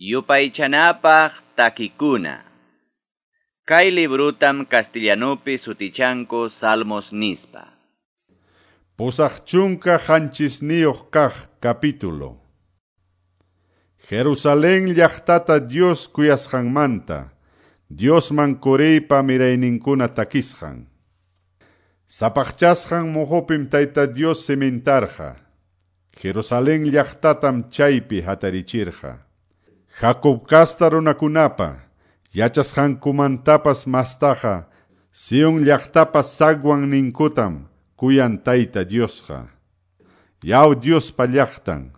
Yupaychanapaq takikuna. Kay librutam castellanupi sutichanku Salmos nispa. 87 kaq capítulo. Jerusalén llaqtata Dios kuyasqanmanta, Diosman Coreypa mirayninkuna takisqan. Sapaqchasqan muhupim Tayta Dios cimentarqa. Jerusalén llaqtatam chaypi hatarichirqa. Jacob kasta runakunapa, yachasqankumantapas mastaqa, Sion llaqtapa sagwan ninkutam kuyan Tayta Diosqa. Yaw Diospa llaqtan,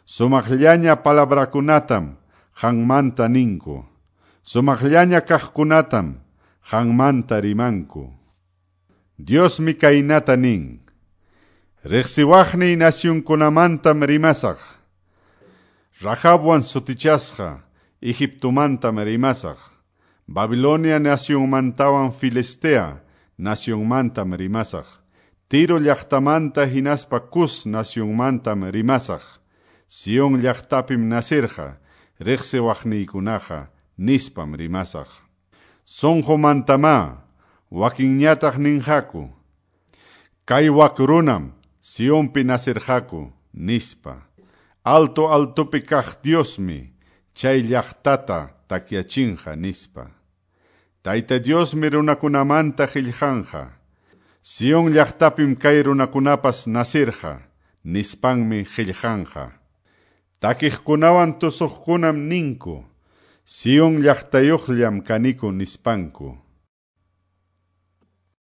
sumaqllaña palabrakunatam qanmanta ninku, sumaqllaña kaqkunatam qanmanta rimanku. Diosmi kaynata nin, riqsiwaqniy nacionkunamantam rimasaq, Rahabwan sutichasqa Egiptomantam rimasaq, Babilonia nacionmantawan Filistea nacionmantam rimasaq, Tiro llaqtamanta hinaspa Cus nacionmantam rimasaq, Sion llaqtapim nasirqa, riqsiwaqniykunaqa nispam rimasaq. Sunqumantamá wakinñataq ninqaku, kay wak runam Sionpi nasirqaku nispa. Alto altopi kaq Diosmi chay llaqtata takyachinqa nispa. Tayta Diosmi runakunamanta qillqanqa, Sion llaqtapim kay runakunapas nasirqa nispanmi qillqanqa. Takiqkunawan tusuqkunam ninku, Sion llaqtayuqllam kaniku nispanku.